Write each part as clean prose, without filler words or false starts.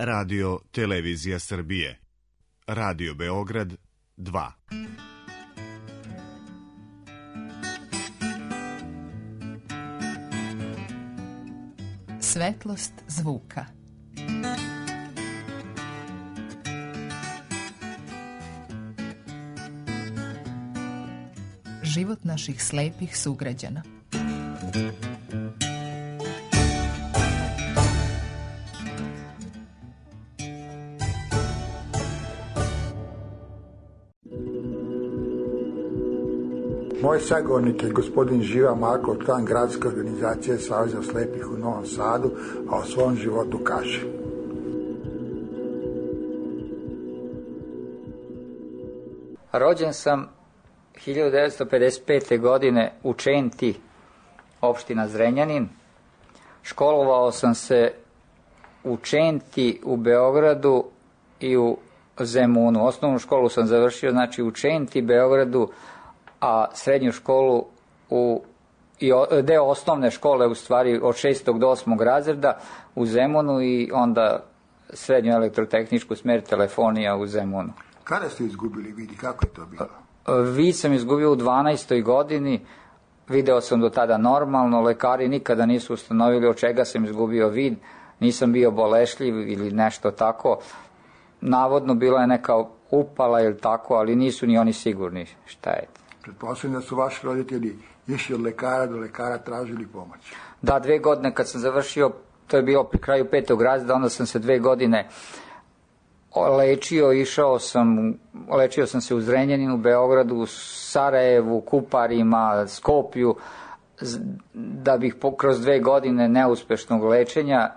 Radio Televizija Srbije. Radio Beograd 2. Svetlost zvuka. Život naših slepih sugrađana. Moj sagovornik je gospodin Živa Marko, član gradske organizacije Saveza slepih u Novom Sadu, a o svom životu kaže. Rođen sam 1955. godine u Čenti, opština Zrenjanin. Školovao sam se u Čenti, u Beogradu i u Zemunu. Osnovnu školu sam završio u Čenti, Beogradu, a srednju školu deo osnovne škole u stvari od 6. do 8. razreda u Zemunu i onda srednju elektrotehničku smer telefonija u Zemunu. Kada ste izgubili vid i kako je to bilo? Vid sam izgubio u 12. godini, video sam do tada normalno, lekari nikada nisu ustanovili od čega sam izgubio vid, nisam bio bolešljiv ili nešto tako. Navodno bila je neka upala ili tako, ali nisu ni oni sigurni šta je. Pretpostavljam da su vaši roditelji išli od lekara do lekara, tražili pomoć. Da, 2 godine kad sam završio, to je bilo pri kraju 5. razreda, onda sam se 2 godine lečio, lečio sam se u Zrenjaninu, Beogradu, Sarajevu, Kuparima, Skoplju, da bih kroz 2 godine neuspešnog lečenja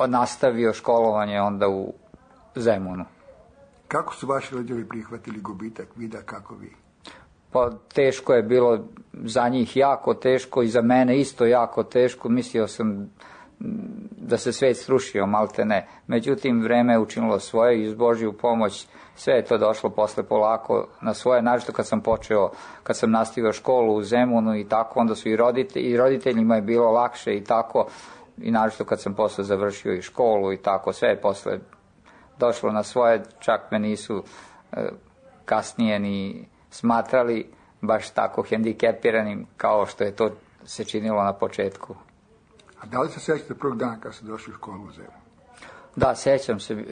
nastavio školovanje onda u Zemunu. Kako su vaši roditelji prihvatili gubitak vida, kako vi? Pa teško je bilo za njih, jako teško, i za mene isto jako teško. Mislio sam da se svet srušio, malte ne. Međutim, vreme je učinilo svoje i uz Božju pomoć sve je to došlo posle polako na svoje. Naravno kad sam nastavio školu u Zemunu i tako, onda su i roditeljima je bilo lakše i tako. I naravno kad sam posle završio i školu i tako, sve je posle došlo na svoje. Čak me nisu kasnije ni smatrali baš tako hendikepiranim kao što je to se činilo na početku. A da li se sjećate prvog dana kad ste došli u školu u Zemunu? Da, sjećam se.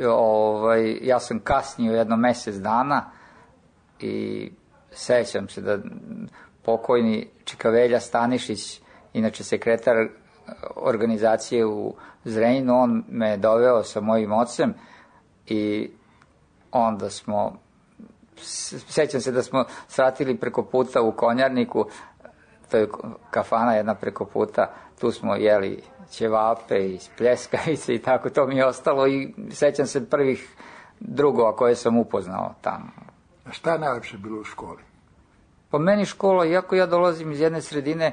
Ja sam kasnio jedno mjesec dana i sjećam se da pokojni Čikavelja Stanišić, inače sekretar organizacije u Zrenjaninu, on me doveo sa mojim ocem i onda sjećam se da smo sratili preko puta u Konjarniku, to je kafana jedna preko puta, tu smo jeli ćevape i pljeskavice i tako, to mi je ostalo i sjećam se prvih drugova koje sam upoznao tamo. A šta je najlepše bilo u školi? Po meni škola, iako ja dolazim iz jedne sredine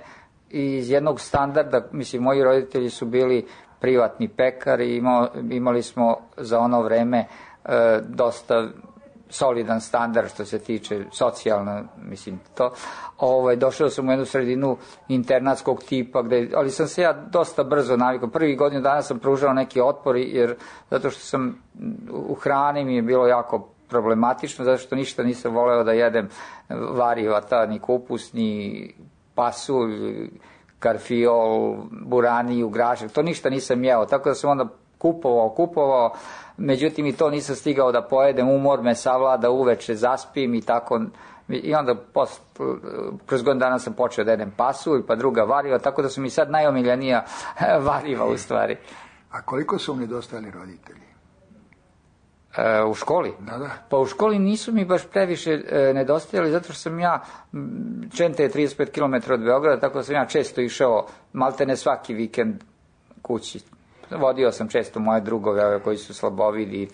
i iz jednog standarda, mislim, moji roditelji su bili privatni pekari, imali smo za ono vreme dosta solidan standard što se tiče socijalno, mislim to. Došao sam u jednu sredinu internatskog tipa, ali sam se ja dosta brzo navikao. Prvih godinu dana sam pružao neki otpor, zato što sam u hrani mi je bilo jako problematično, zato što ništa nisam voleo da jedem variva, ni kupus, ni pasulj, karfiol, buraniju, grašak, to ništa nisam jeo, tako da sam onda kupovao, međutim i to nisam stigao da pojedem, umor me savlada, uveče zaspim i tako, i onda kroz godinu dana sam počeo da jedem pasulj, pa druga variva, tako da su mi sad najomiljenija variva u stvari. A koliko su mi nedostajali roditelji? U školi? Da. Pa u školi nisu mi baš previše nedostajali, zato što sam ja, Čente je 35 km od Beograda, tako da sam ja često išao, malte ne svaki vikend kući. Vodio sam često moje drugove koji su slabovidi i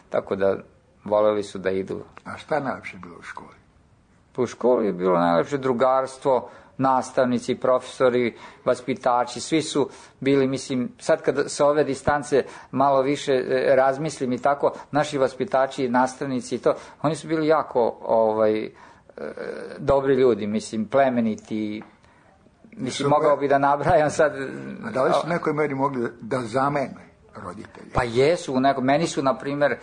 tako da voleli su da idu. A šta je najlepše bilo u školi? U školi je bilo najlepše drugarstvo, nastavnici, profesori, vaspitači, svi su bili, mislim, sad kad sa ove distance malo više razmislim i tako, naši vaspitači, nastavnici i to, oni su bili jako dobri ljudi, mislim, plemeniti, mislim, mogao bi da nabrajam sad. A da li su nekoj meri mogli da zamene roditelji? Pa jesu, meni su, na primjer,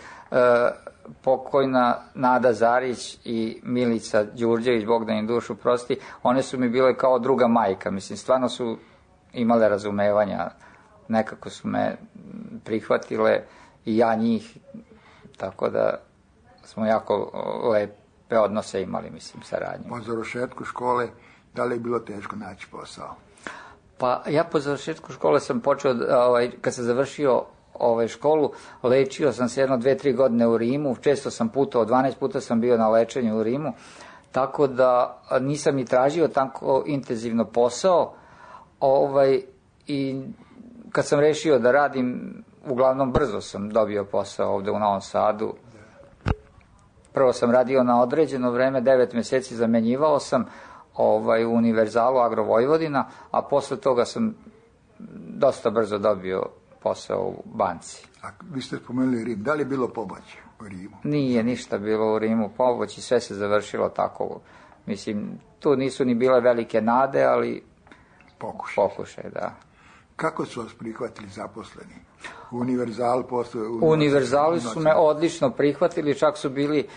pokojna Nada Zarić i Milica Đurđević, Bog da im dušu prosti, one su mi bile kao druga majka, mislim, stvarno su imale razumevanja, nekako su me prihvatile i ja njih, tako da smo jako lepe odnose imali, mislim, saradnje. Po završetku škole, da li je bilo teško naći posao? Pa ja po završetku škole sam počeo, kad sam završio školu, lečio sam se 1-2-3 godine u Rimu, često sam putovao, 12 puta sam bio na lečenju u Rimu, tako da nisam ni tražio tako intenzivno posao, i kad sam rešio da radim, uglavnom brzo sam dobio posao ovde u Novom Sadu. Prvo sam radio na određeno vreme, 9 meseci zamenjivao sam u Univerzalu Agro Vojvodina, a posle toga sam dosta brzo dobio posao u banci. A vi ste spomenuli Rim, da li je bilo pobačaj u Rimu? Nije ništa bilo u Rimu pobačaj, sve se završilo tako. Mislim, tu nisu ni bile velike nade, ali pokušaj, da. Kako su vas prihvatili zaposleni? U Univerzalu postoje... U Univerzalu su me odlično prihvatili, čak su bili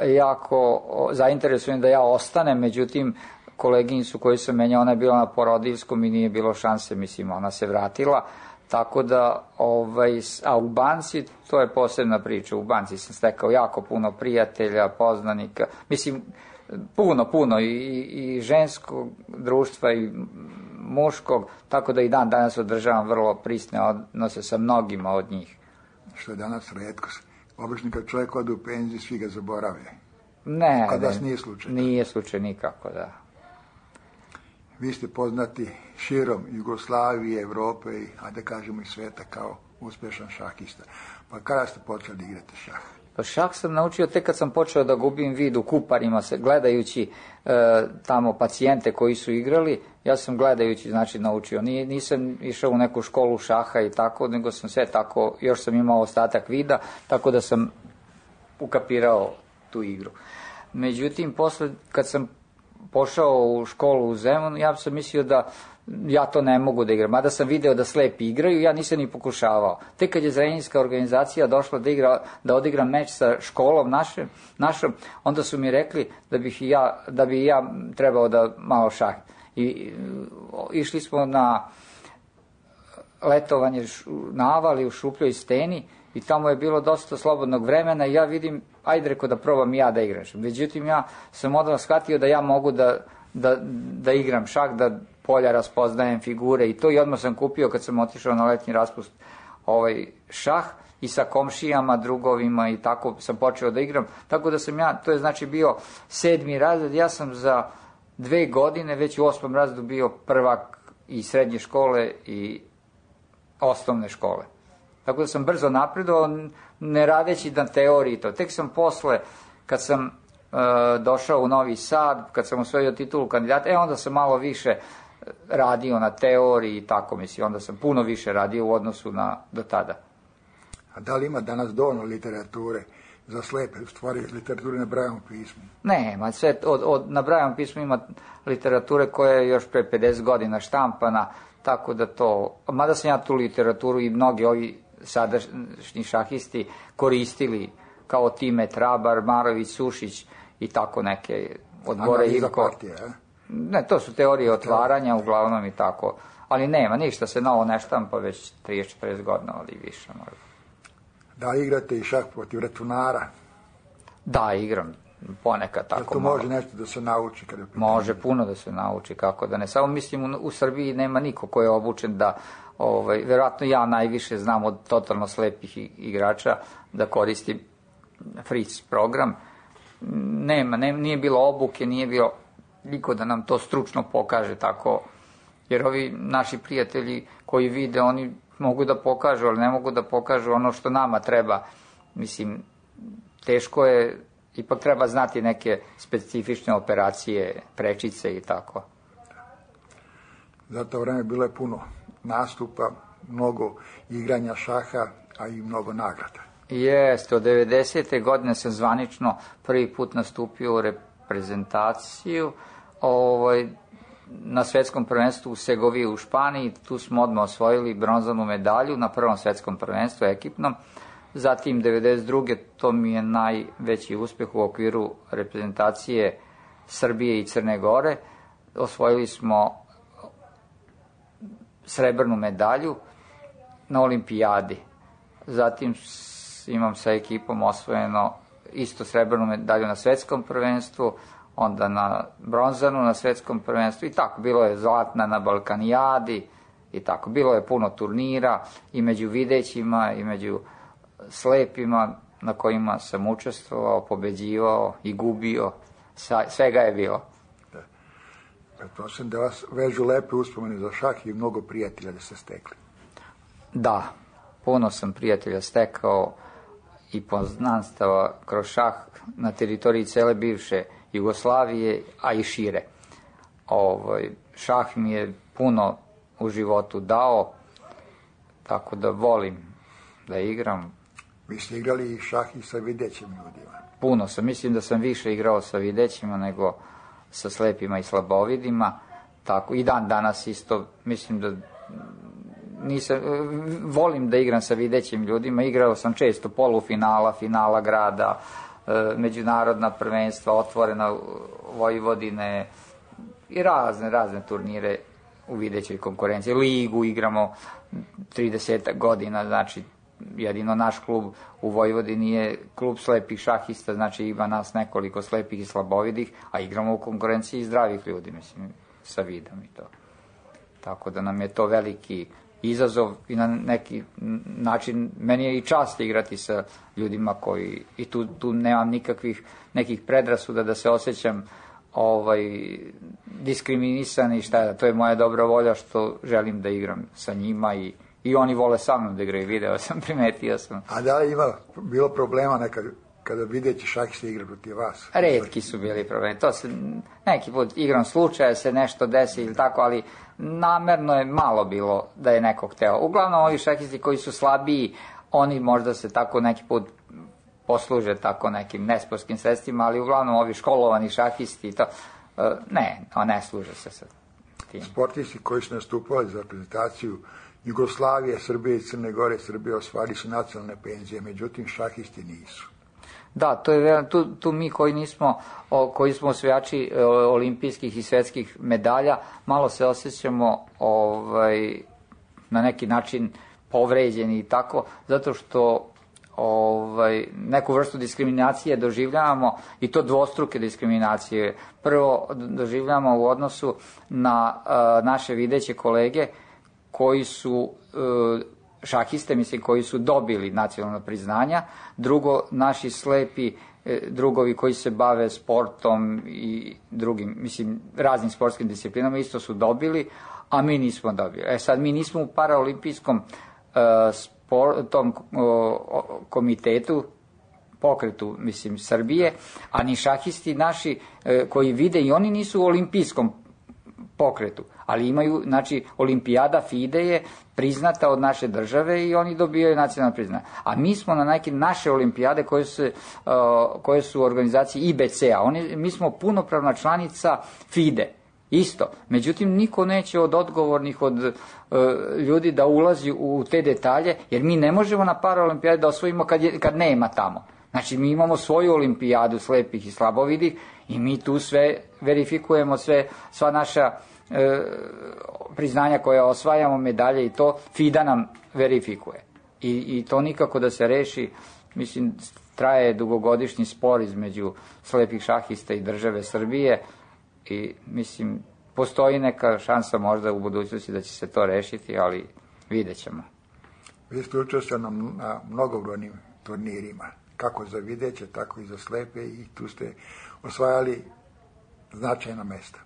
jako zainteresovani da ja ostanem, međutim, koleginicu koju sam menjao, ona je bila na porodiljskom i nije bilo šanse, mislim, ona se vratila, tako da, a u banci, to je posebna priča, u banci sam stekao jako puno prijatelja, poznanika, mislim, puno i ženskog društva i muškog, tako da i dan danas održavam vrlo prisne odnose sa mnogima od njih. Što je danas retkost. Obično kad čovjek ode u penziju, svi ga zaborave. Ne, Kad vas nije slučaj. Nije slučaj nikako, da. Vi ste poznati širom Jugoslavije, Evrope i, da kažemo, i sveta kao uspješan šahista. Pa kada ste počeli igrati šah? Pa šah sam naučio tek kad sam počeo da gubim vid u kuparima, gledajući tamo pacijente koji su igrali, ja sam gledajući, znači, naučio. Nisam išao u neku školu šaha i tako, nego sam sve tako, još sam imao ostatak vida, tako da sam ukapirao tu igru. Međutim, posle, kad sam pošao u školu u Zemunu, ja sam mislio da ja to ne mogu da igram. Mada sam video da slepi igraju, ja nisam ni pokušavao. Tek kad je Zrenjaninska organizacija došla da odigram meč sa školom našom, onda su mi rekli da bi ja trebao da malo šah. I išli smo na letovanje na Avali u Šupljoj steni i tamo je bilo dosta slobodnog vremena i ja vidim, ajde reko da probam i ja da igram. Međutim, ja sam odmah shvatio da ja mogu da igram šah, da polja raspoznajem figure i to, i odmah sam kupio kad sam otišao na letnji raspust šah i sa komšijama, drugovima i tako sam počeo da igram. Tako da sam ja, to je znači bio 7. razred, ja sam za 2 godine već u 8. razredu bio prvak i srednje škole i osnovne škole. Tako da sam brzo napredovao, ne radeći na teoriji to. Tek sam posle, kad sam došao u Novi Sad, kad sam osvojio titulu kandidata, onda sam malo više radio na teoriji i tako, mislim, onda sam puno više radio u odnosu do tada. A da li ima danas dovoljno literature za slepe, u stvari literature na Brailleovom pismu? Nema, sve na Brailleovom pismu ima literature koja je još pre 50 godina štampana, tako da to, mada sam ja tu literaturu i mnogi ovi sadašnji šahisti koristili, kao Time Trabar, Marović, Sušić i tako neke od Bore Ivko. Ne, to su teorije otvaranja uglavnom i tako, ali nema, ništa se novo ne štampa već 30-40 godina, ali više možda. Da igrate i šah protiv računara? Da, igram ponekad tako. To može nešto da se nauči? Može puno da se nauči, kako da ne. Samo mislim, u Srbiji nema niko ko je obučen da, verovatno ja najviše znam od totalno slepih igrača da koristim Fritz program. Nije bilo obuke, nije bilo niko da nam to stručno pokaže tako, jer ovi naši prijatelji koji vide, oni mogu da pokažu, ali ne mogu da pokažu ono što nama treba. Mislim, teško je, ipak treba znati neke specifične operacije, prečice i tako. Za to vreme bilo je puno nastupa, mnogo igranja šaha, a i mnogo nagrada. Jeste, od 90. godine sam zvanično prvi put nastupio u reprezentaciju. na svetskom prvenstvu u Segoviji u Španiji, tu smo odmah osvojili bronzanu medalju na prvom svetskom prvenstvu ekipnom. Zatim 92. to mi je najveći uspeh u okviru reprezentacije Srbije i Crne Gore. Osvojili smo srebrnu medalju na olimpijadi. Zatim imam sa ekipom osvojeno isto srebrnu medalju na svetskom prvenstvu, onda na bronzanu na svetskom prvenstvu i tako. Bilo je zlatna na Balkanijadi i tako. Bilo je puno turnira i među videćima i među slepima na kojima sam učestvovao, pobeđivao i gubio. Svega je bilo. Pretpostavljam da vas vežu lepe uspomene za šah i mnogo prijatelja da ste stekli. Da, puno sam prijatelja stekao i poznanstava kroz šah na teritoriji cele bivše Jugoslavije, a i šire. Šah mi je puno u životu dao, tako da volim da igram. Vi ste igrali i šah i sa videćim ljudima. Puno sam, mislim da sam više igrao sa videćima nego sa slepima i slabovidima, tako i dan danas isto, mislim da volim da igram sa videćim ljudima, igrao sam često polufinala, finala grada, međunarodna prvenstva, otvorena Vojvodine i razne turnire u videćoj konkurenciji. Ligu igramo 30 godina, znači jedino naš klub u Vojvodini je klub slepih šahista, znači ima nas nekoliko slepih i slabovidih, a igramo u konkurenciji zdravih ljudi, mislim, sa vidom i to. Tako da nam je to veliki izazov i na neki način meni je i čast igrati sa ljudima koji, i tu nemam nekih predrasuda da se osjećam diskriminisan i šta je, to je moja dobra volja što želim da igram sa njima i oni vole sa mnom da igraju, video sam, primetio sam. A da li ima bilo problema nekad kada videći šahiste igra protiv vas? Retki su bili problemi, to se neki put igram slučaja se nešto desi ili tako, ali namerno je malo bilo da je neko hteo. Uglavnom ovi šahisti koji su slabiji, oni možda se tako neki put posluže tako nekim nesportskim sredstvima, ali uglavnom ovi školovani šahisti to, ne služe se sa tim. Sportisti koji su nastupali za reprezentaciju Jugoslavije, Srbije i Crne Gore, Srbije osvajali su nacionalne penzije, međutim šahisti nisu. Da, to je tu mi koji smo osvajači olimpijskih i svetskih medalja, malo se osjećamo na neki način povređeni i tako, zato što neku vrstu diskriminacije doživljavamo, i to dvostruke diskriminacije. Prvo doživljavamo u odnosu na naše videće kolege koji su šahiste, mislim, koji su dobili nacionalna priznanja. Drugo, naši slepi drugovi koji se bave sportom i drugim, mislim, raznim sportskim disciplinama isto su dobili, a mi nismo dobili. Sad, mi nismo u paraolimpijskom tom komitetu, pokretu, mislim, Srbije, a ni šahisti naši koji vide, i oni nisu u olimpijskom pokretu, ali imaju, znači, olimpijada FIDE je priznata od naše države i oni dobijaju nacionalno priznanje. A mi smo na neke naše olimpijade koje su u organizaciji IBC-a, mi smo punopravna članica FIDE, isto. Međutim, niko neće od odgovornih, od ljudi da ulazi u te detalje, jer mi ne možemo na paraolimpijade da osvojimo kad nema tamo. Znači, mi imamo svoju olimpijadu slepih i slabovidih i mi tu sve verifikujemo, sva naša priznanja koja osvajamo, medalje i to, FIDA nam verifikuje. I to nikako da se reši, mislim, traje dugogodišnji spor između slepih šahista i države Srbije i, mislim, postoji neka šansa možda u budućnosti da će se to rešiti, ali vidjet ćemo. Vi ste učestvovali na mnogobrojnim turnirima, kako za videće, tako i za slepe, i tu ste osvajali značajna mesta.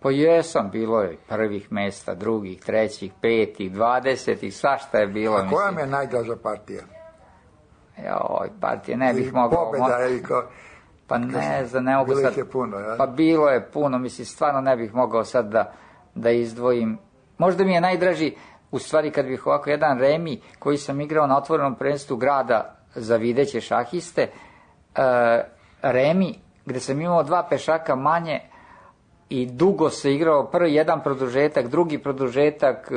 Pa jesam, bilo je prvih mesta, drugih, trećih, petih, 20, svašta je bilo. A koja mi je najdraža partija? Partije ne bih mogao... Pobjeda ili kao... Pa ne znam, ne mogu sad... Bilo ih je puno, ja? Pa bilo je puno, mislim, stvarno ne bih mogao sad da izdvojim. Možda mi je najdraži, u stvari, kad bih ovako jedan remi koji sam igrao na otvorenom prvenstvu grada za videće šahiste, remi, gde sam imao 2 pešaka manje, i dugo se igrao, prvi jedan produžetak, drugi produžetak,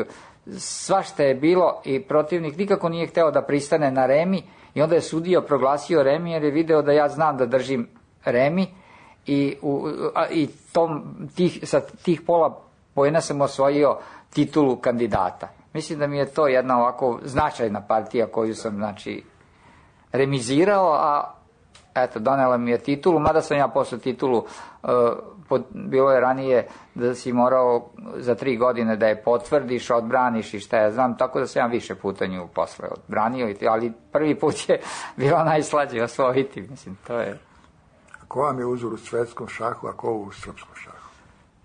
svašta je bilo i protivnik nikako nije hteo da pristane na remi i onda je sudija proglasio remi jer je video da ja znam da držim remi i sa tih pola poena sam osvojio titulu kandidata. Mislim da mi je to jedna ovako značajna partija koju sam, znači, remizirao, a eto, donela mi je titulu, mada sam ja posle titulu, bilo je ranije da si morao za 3 godine da je potvrdiš, odbraniš i šta ja znam, tako da sam ja više puta nju posle odbranio, ali prvi put je bilo najslađe osvojiti, mislim, to je... Ko vam je uzor u svetskom šahu, a ko u srpskom šahu?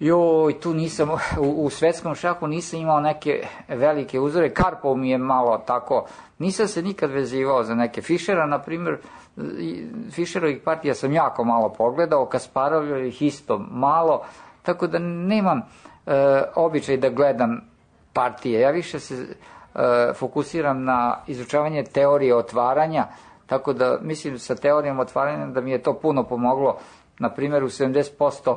Joj, tu nisam, u svetskom šahu nisam imao neke velike uzore, Karpov mi je malo tako, nisam se nikad vezivao za neke. Fišera, na primjer, Fišerovih partija sam jako malo pogledao, Kasparovih isto malo, tako da nemam običaj da gledam partije. Ja više se fokusiram na izučavanje teorije otvaranja, tako da mislim sa teorijom otvaranja da mi je to puno pomoglo. Na primjer, u 70%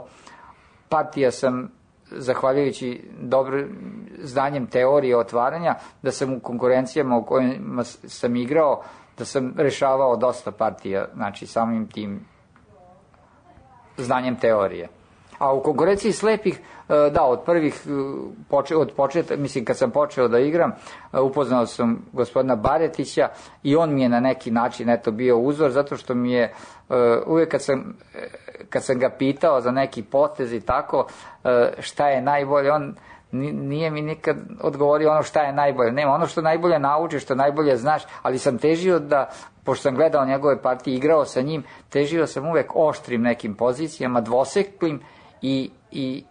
partija sam, zahvaljujući dobrim znanjem teorije otvaranja, da sam u konkurencijama u kojima sam igrao, da sam rešavao dosta partija, znači samim tim znanjem teorije. A u konkurenciji slepih, da, od početka, mislim, kad sam počeo da igram, upoznao sam gospodina Baretića i on mi je na neki način, eto, bio uzor, zato što mi je, uvijek kad sam ga pitao za neki potez i tako, šta je najbolje, on nije mi nikad odgovorio ono šta je najbolje. Nema, ono što najbolje naučiš, što najbolje znaš, ali sam težio da, pošto sam gledao njegove partije, igrao sa njim, težio sam uvek oštrim nekim pozicijama, dvoseklim i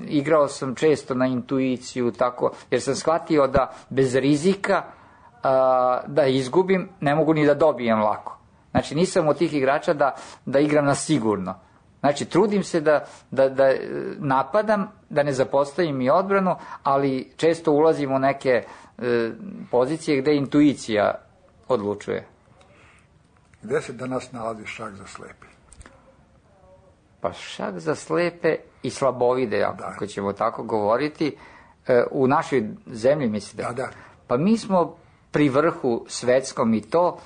igrao sam često na intuiciju, tako, jer sam shvatio da bez rizika da izgubim, ne mogu ni da dobijem lako. Znači, nisam od tih igrača da igram na sigurno. Znači, trudim se da napadam, da ne zapostavim i odbranu, ali često ulazim u neke pozicije gde intuicija odlučuje. Gde se danas nalazi šah za slepe? Pa šah za slepe i slabovide, ako ćemo tako govoriti, u našoj zemlji, mislite? Da. Pa mi smo pri vrhu svetskom i to,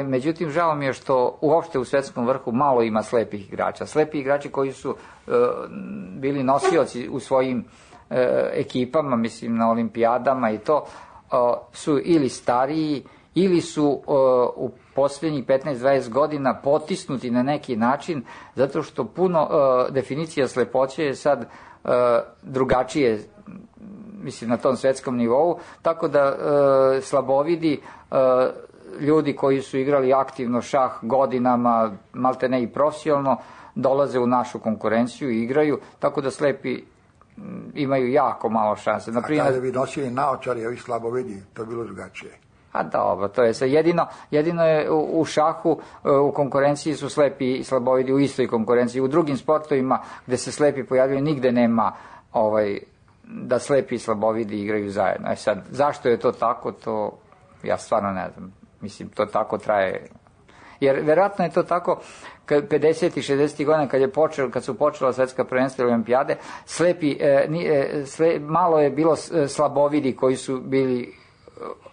međutim, žao mi je što uopšte u svetskom vrhu malo ima slepih igrača. Slepi igrači koji su bili nosioci u svojim ekipama, mislim, na olimpijadama i to, su ili stariji, ili su u posljednjih 15-20 godina potisnuti na neki način, zato što puno definicija slepoće je sad drugačije, mislim, na tom svetskom nivou, tako da slabovidi, ljudi koji su igrali aktivno šah godinama, malte ne i profesionalno, dolaze u našu konkurenciju i igraju, tako da slepi imaju jako malo šanse. A kada bi nosili naočari, ovi slabovidi, to je bilo drugačije. A dobro, to je sve. Jedino je u šahu, u konkurenciji su slepi i slabovidi u istoj konkurenciji. U drugim sportovima gde se slepi pojavljaju, nigde nema da slepi i slabovidi igraju zajedno. Sad, zašto je to tako, to ja stvarno ne znam. Mislim, to tako traje. Jer verovatno je to tako 50. i 60. godina kad su počela svetska prvenstva i olimpijade, malo je bilo slabovidi koji su bili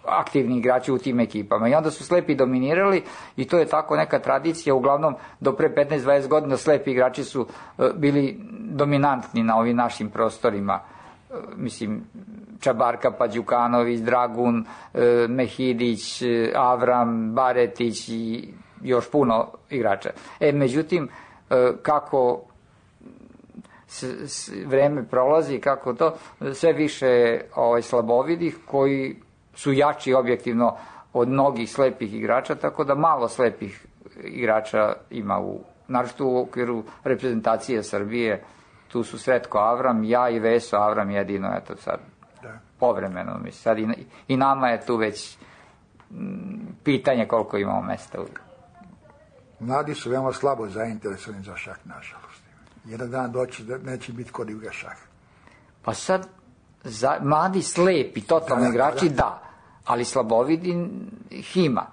aktivni igrači u tim ekipama i onda su slepi dominirali i to je tako neka tradicija, uglavnom do pre 15-20 godina slepi igrači su bili dominantni na ovim našim prostorima, mislim, Čabarka, Đukanović, Dragun, Mehidić, Avram, Baretić i još puno igrača. Međutim, kako vreme prolazi, kako to, sve više slabovidih koji su jači objektivno od mnogih slepih igrača, tako da malo slepih igrača ima naročito u okviru reprezentacije Srbije. Tu su Sretko Avram, ja i Veso Avram jedino, eto sad, povremeno, mislim, sad i nama je tu već pitanje koliko imamo mesta. Mladi su veoma slabo zainteresovani za šah, nažalost. Jedan dan doći da neće biti kod igra šah. Pa sad, mladi slepi, totalni igrači, da, ali slabovidi ih ima.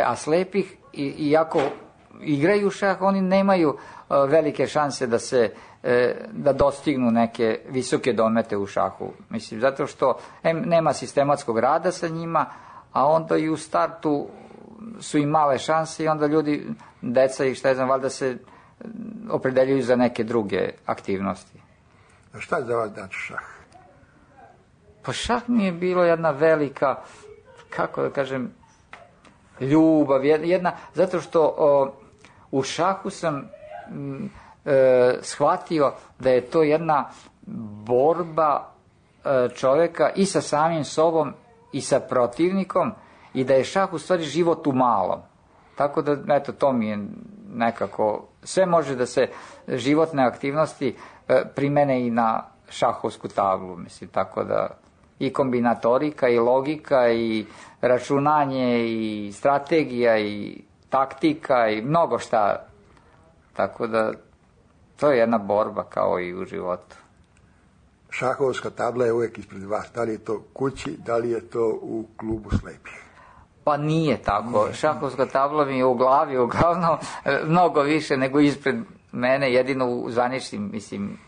A slepih, iako igraju šah, oni nemaju velike šanse da dostignu neke visoke domete u šahu. Mislim, zato što nema sistematskog rada sa njima, a onda i u startu su im male šanse i onda ljudi, deca i šta je znam, valjda se opredeljuju za neke druge aktivnosti. A šta je za vas znači šah? Pa šah mi je bilo jedna velika, kako da kažem, ljubav, zato što u šahu sam shvatio da je to jedna borba čoveka i sa samim sobom i sa protivnikom i da je šah u stvari život u malom. Tako da, eto, to mi je nekako, sve može da se životne aktivnosti primene i na šahovsku tablu, mislim, tako da i kombinatorika, i logika, i računanje, i strategija, i taktika, i mnogo šta. Tako da, to je jedna borba kao i u životu. Šahovska tabla je uvijek ispred vas. Da li je to kući, da li je to u klubu slepih? Pa nije tako. Šahovska tabla mi je u glavi uglavnom mnogo više nego ispred mene, jedino u zvaničnim, mislim,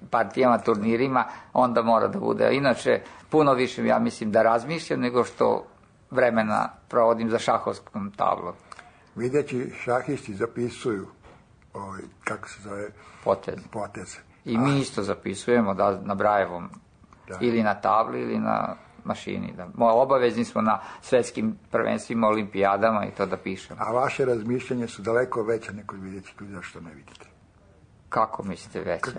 partijama, turnirima, onda mora da bude. Inače, puno više, ja mislim, da razmišljam nego što vremena provodim za šahovskom tablom. Videći šahisti zapisuju, kako se zove? Poteze. I mi isto zapisujemo na Brajevom, ili na tabli, ili na mašini. Obavezni smo na svetskim prvenstvima, olimpijadama i to da pišemo. A vaše razmišljanje su daleko veća nego videći tu, zašto ne vidite? Kako mislite veća?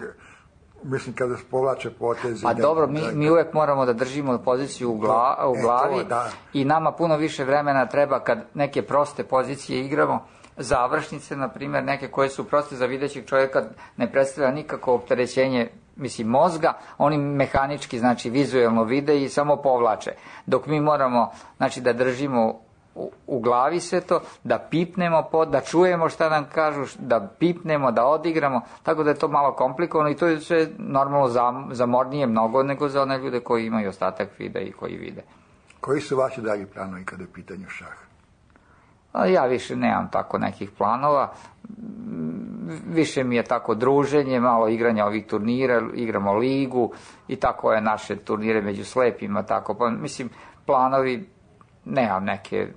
Mislim, kada se povlače poteze... Pa dobro, mi uvek moramo da držimo poziciju u glavi i nama puno više vremena treba kad neke proste pozicije igramo, završnice, na primjer, neke koje su proste za videćeg čovjeka, ne predstavlja nikako opterećenje, mislim, mozga, oni mehanički, znači, vizuelno vide i samo povlače. Dok mi moramo, znači, da držimo u glavi sve to, da pipnemo, da čujemo šta nam kažu, da pipnemo, da odigramo, tako da je to malo komplikovano i to je sve normalno zamornije mnogo nego za one ljude koji imaju ostatak vida i koji vide. Koji su vaši dalji planovi kada je pitanju šah? Ja više nemam tako nekih planova, više mi je tako druženje, malo igranja ovih turnira, igramo ligu i tako je naše turnire među slepima, tako, pa mislim, planovi, nemam neke velike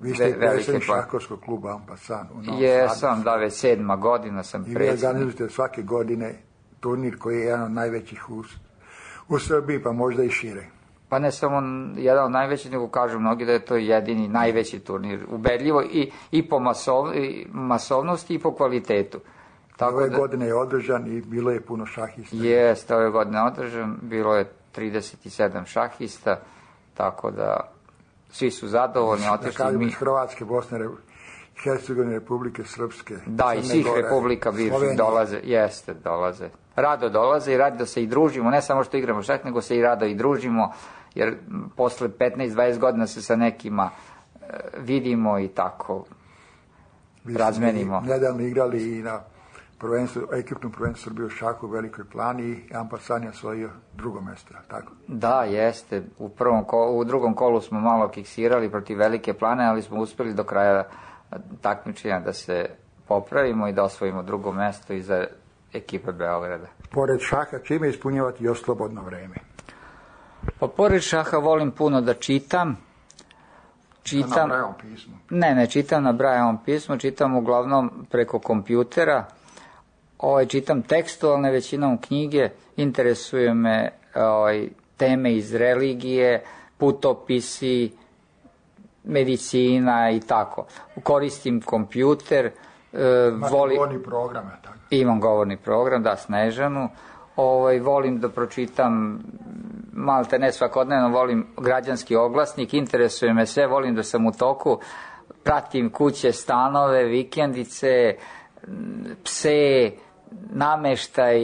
plane. Vi ste predsjednik šahovskog kluba Ampasan u Novom Sadu. Jesam, da, već 7. godina sam predsjednik. I vi organizujete svake godine turnir koji je jedan od najvećih u Srbiji, pa možda i šire. Pa ne samo jedan od najvećih, nego kažu mnogi da je to jedini najveći turnir, ubedljivo i po masovnosti i po kvalitetu. Ove godine je održan i bilo je puno šahista. Jeste, ove godine je održan, bilo je 37 šahista, tako da svi su zadovoljni, otišli mi. Iz Hrvatske, Bosne, Hercegovine, Republike Srpske, da, i svih republika bivših dolaze. Rado dolaze i rado se i družimo, ne samo što igramo šah, nego se i rado i družimo, jer posle 15-20 godina se sa nekima vidimo i tako razmenimo. Nedavno igrali i na ekipnom prvenstvu Srbije u šahu u Velikoj Plani i Ampasan je osvojio drugo mesto, tako? Da, jeste. U drugom kolu smo malo kiksirali protiv Velike Plane, ali smo uspeli do kraja takmičenja da se popravimo i da osvojimo drugo mesto i za ekipe Beograda. Pored šaha, čime ispunjavati još slobodno vreme? Pa pored šaha volim puno da čitam. Na Brajevom pismu? Ne čitam na Brajevom pismu, čitam uglavnom preko kompjutera. Čitam tekstualne većinom knjige, interesuje me teme iz religije, putopisi, medicina i tako. Koristim kompjuter. Govorni program, tako? Imam govorni program, da, Snežanu. Volim da pročitam, malte ne svakodnevno, volim građanski oglasnik, interesuje me sve, volim da sam u toku, pratim kuće, stanove, vikendice, pse, nameštaj,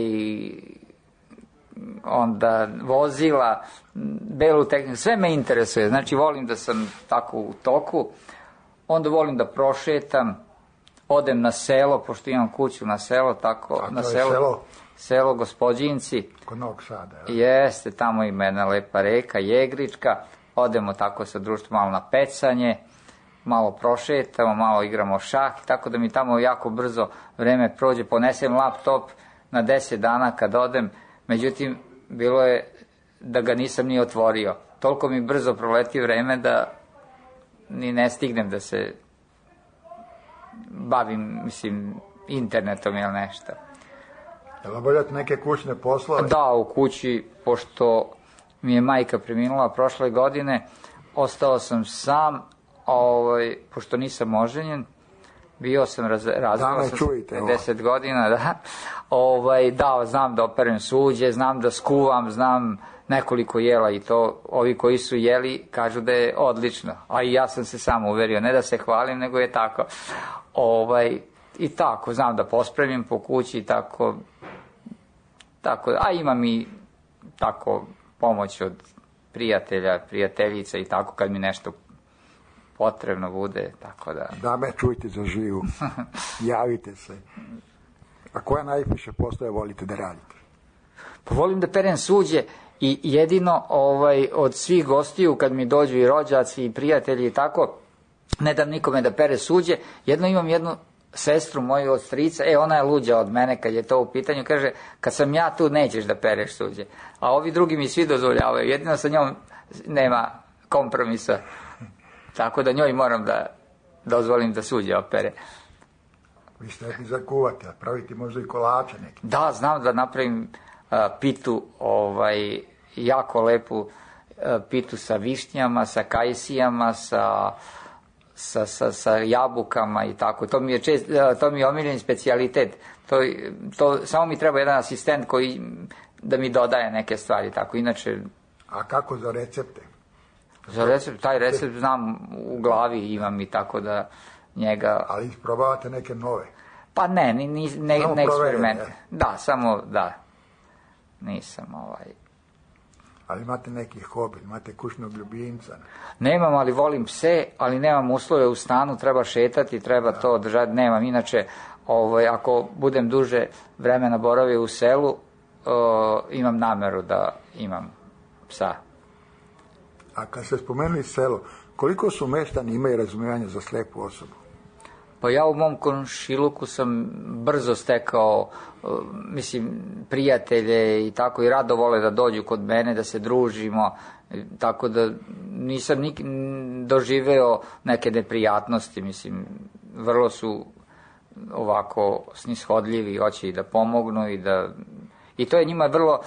onda vozila, belu tehniku, sve me interesuje, znači volim da sam tako u toku, onda volim da prošetam, odem na selo, pošto imam kuću na selo, tako, na selo Gospođinci. Kod Novog Sada, Jeste, tamo ima jedna lepa reka, Jegrička, odemo tako sa društvom malo na pecanje, malo prošetamo, malo igramo šah, tako da mi tamo jako brzo vreme prođe, ponesem laptop na 10 dana kad odem, međutim, bilo je da ga nisam ni otvorio. Toliko mi brzo proleti vreme da ni ne stignem da se bavim, mislim, internetom ili nešto. Jel obavljate neke kućne poslove? Da, u kući, pošto mi je majka preminula prošle godine, ostao sam sam, pošto nisam oženjen, bio sam razveo sam 10 godina, da. Da, znam da operem suđe, znam da skuvam, znam nekoliko jela i to, ovi koji su jeli kažu da je odlično, a i ja sam se sam uverio, ne da se hvalim, nego je tako. I tako, znam da pospremim po kući i tako, a imam i tako pomoć od prijatelja, prijateljica i tako kad mi nešto potrebno bude, tako da... Dame, čujte za živu, javite se. A koja najviše poslove volite da radite? Pa volim da perem suđe i jedino od svih gostiju kad mi dođu i rođaci i prijatelji i tako, ne dam nikome da pere suđe, imam jednu sestru moju od strica, ona je luđa od mene kad je to u pitanju, kaže, kad sam ja tu nećeš da pereš suđe, a ovi drugi mi svi dozvoljavaju, jedino sa njom nema kompromisa, tako da njoj moram da dozvolim da suđe opere. Vi ste neki zakuvati, a praviti možda i kolače neki. Da, znam da napravim pitu, jako lepu pitu sa višnjama, sa kajsijama, sa jabukama i tako. To mi je omiljeni specijalitet. To samo mi treba jedan asistent koji da mi dodaje neke stvari, tako. Inače... A kako za recepte? Za recept, taj recept znam u glavi, imam i tako da njega... Ali isprobavate neke nove? Pa ne eksperiment. Da, samo da. Nisam Ali imate neki hobi, imate kućnog ljubimca? Nemam, ali volim pse, ali nemam uslove u stanu, treba šetati, treba to održati, nemam. Inače, ako budem duže vremena boravio u selu, imam nameru da imam psa. A kad ste spomenuli selo, koliko su meštani imaju razumijevanja za slijepu osobu? Pa ja u mom komšiluku sam brzo stekao, prijatelje i tako, i rado vole da dođu kod mene, da se družimo, tako da nisam doživeo neke neprijatnosti, vrlo su ovako snishodljivi, hoće i da pomognu i to je njima vrlo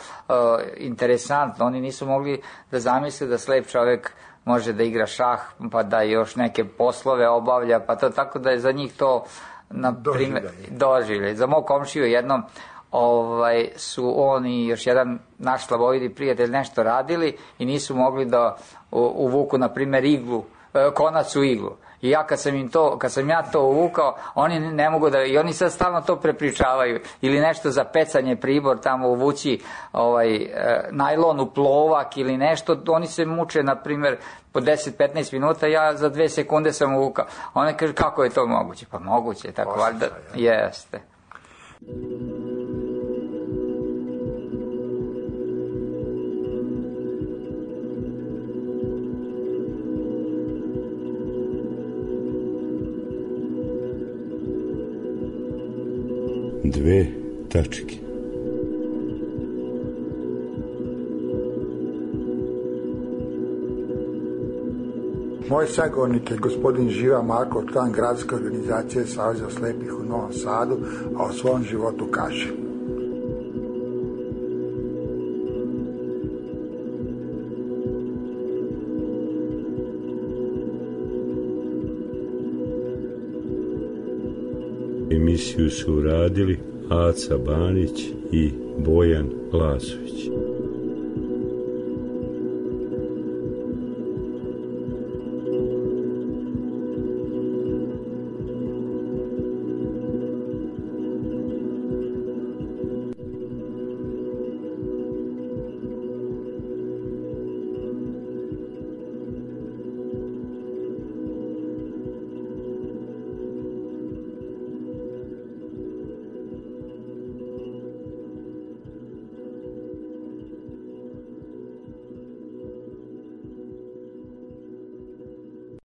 interesantno. Oni nisu mogli da zamisle da slep čovjek može da igra šah, pa da još neke poslove obavlja, pa to tako da je za njih to doživljaj. Za mog komšiju jednom su on i još jedan naš slabovidi prijatelj nešto radili i nisu mogli da uvuku, na primjer, konac u iglu. I ja kad sam ja to uvukao, oni ne mogu da, i oni sad stalno to prepričavaju, ili nešto za pecanje pribor, tamo uvući najlon u plovak ili nešto, oni se muče, na primjer, po 10-15 minuta, ja za 2 sekunde sam uvukao. Oni kaže, kako je to moguće? Pa moguće, tako valjda, jeste. Dve tačke. Moj sagovornik je gospodin Živa Marko, član gradske organizacije Saveza slepih u Novom Sadu, a o svom životu kaže. Emisiju su uradili Aca Banić i Bojan Lazović.